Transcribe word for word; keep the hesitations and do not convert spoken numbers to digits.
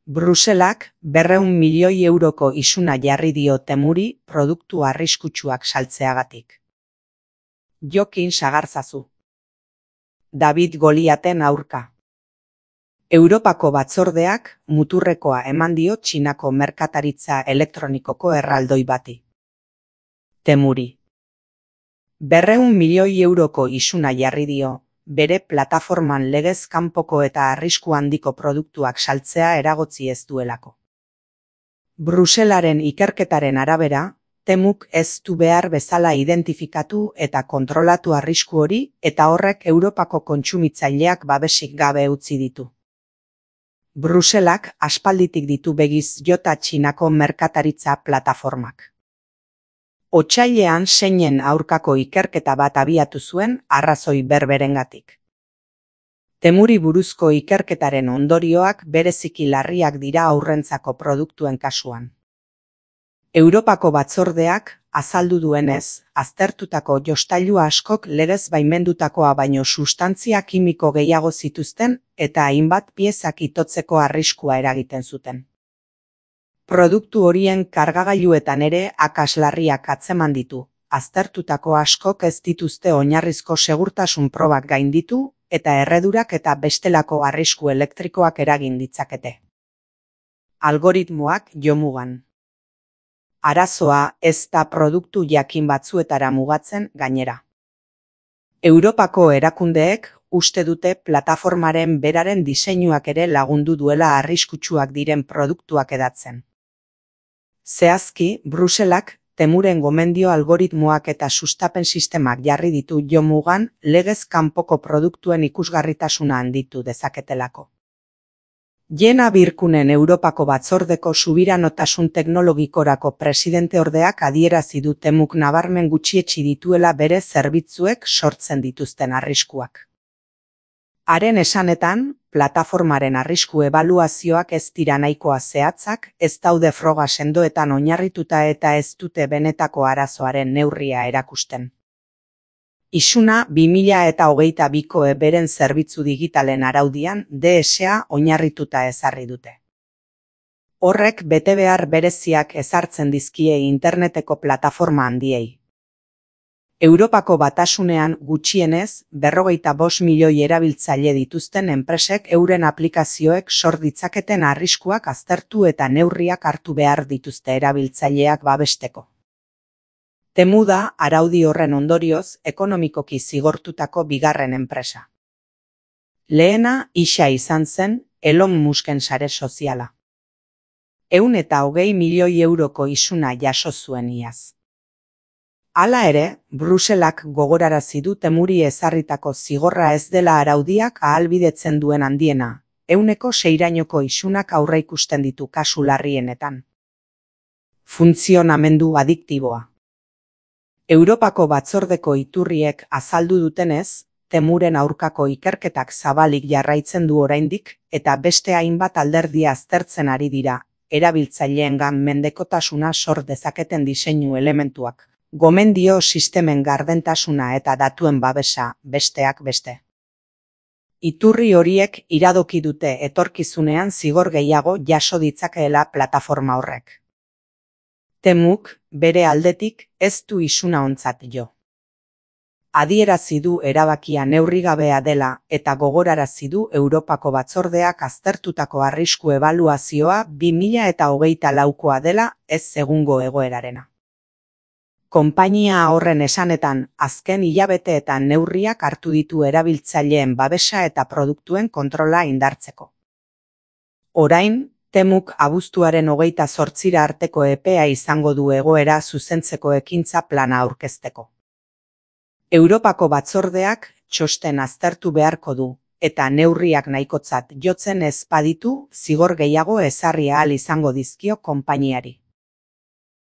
Bruselak berrehun milioi euroko isuna jarri dio Temuri produktu arriskutsuak saltzeagatik. Jokin sagarzazu. David Goliaten aurka. Europako batzordeak muturrekoa eman dio Txinako merkataritza elektronikoko erraldoi bati. Temuri. Berrehun milioi euroko isuna jarri dio, bere plataforman legez kanpoko eta arrisku handiko produktuak saltzea eragotzi ez duelako. Bruselaren ikerketaren arabera, Temuk ez du behar bezala identifikatu eta kontrolatu arrisku hori eta horrek Europako kontsumitzaileak babesik gabe utzi ditu. Bruselak aspalditik ditu begiz jota Txinako merkataritza plataformak. Otsailean seinen aurkako ikerketa bat abiatu zuen arrazoi berberengatik. Temuri buruzko ikerketaren ondorioak bereziki larriak dira haurrentzako produktuen kasuan. Europako batzordeak azaldu duenez, aztertutako jostailu askok legez baimendutakoa baino sustantzia kimiko gehiago zituzten eta hainbat piezak itotzeko arriskua eragiten zuten. Produktu horien kargagailuetan ere akats larriak atzeman ditu, aztertutako askok ez dituzte oinarrizko segurtasun probak gainditu eta erredurak eta bestelako arrisku elektrikoak eragin ditzakete. Algoritmoak jomugan. Arazoa ez da produktu jakin batzuetara mugatzen gainera. Europako erakundeek uste dute plataformaren beraren diseinuak ere lagundu duela arriskutsuak diren produktuak edatzen. Zehazki, Bruselak Temuren gomendio algoritmoak eta sustapen sistemak jarri ditu jomugan legez kanpoko produktuen ikusgarritasuna handitu dezaketelako. Jena Birkunen Europako batzordeko subiranotasun teknologikorako presidenteordeak adierazi du Temuk nabarmen gutxietsi dituela bere zerbitzuek sortzen dituzten arriskuak. Haren esanetan, plataformaren arrisku ebaluazioak ez dira nahikoa zehatzak, ez daude froga sendoetan oinarrituta eta ez dute benetako arazoaren neurria erakusten. Isuna bi mila hogeita biko beren zerbitzu digitalen araudian D S A oinarrituta ezarri dute. Horrek betebehar bereziak ezartzen dizkie interneteko plataforma handiei. Europako batasunean gutxienez berrogeita bost milioi erabiltzaile dituzten enpresek euren aplikazioek sor ditzaketen arriskuak aztertu eta neurriak hartu behar dituzte erabiltzaileak babesteko. Temu da araudi horren ondorioz ekonomikoki zigortutako bigarren enpresa. Lehena isa izan zen Elon Musken sare soziala. Ehun eta hogei milioi euroko isuna jaso zuen iaz. Hala ere, Bruselak gogorarazi du Temuri ezarritako zigorra ez dela araudiak ahalbidetzen duen handiena, ehuneko seirainoko isunak aurreikusten ditu kasu larrienetan. Funtzionamendu adiktiboa. Europako batzordeko iturriek azaldu dutenez, Temuren aurkako ikerketak zabalik jarraitzen du oraindik eta beste hainbat alderdia aztertzen ari dira, erabiltzaileengan mendekotasuna sor dezaketen diseinu elementuak. Gomendio sistemen gardentasuna eta datuen babesa, besteak beste. Iturri horiek iradoki dute etorkizunean zigor gehiago jaso ditzakeela plataforma horrek. Temuk, bere aldetik, ez du isuna ontzat jo. Adierazi du erabakia neurrigabea dela eta gogorarazi du Europako batzordeak aztertutako arrisku ebaluazioa bi mila hogeita laukoa dela ez egungo egoerarena. Konpainia horren esanetan, azken hilabeteetan neurriak hartu ditu erabiltzaileen babesa eta produktuen kontrola indartzeko. Orain, Temuk abuztuaren hogeita zortzira arteko epea izango du egoera zuzentzeko ekintza plana aurkezteko. Europako batzordeak txosten aztertu beharko du, eta neurriak nahikotzat jotzen ez baditu zigor gehiago ezarri ahal izango dizkio konpainiari.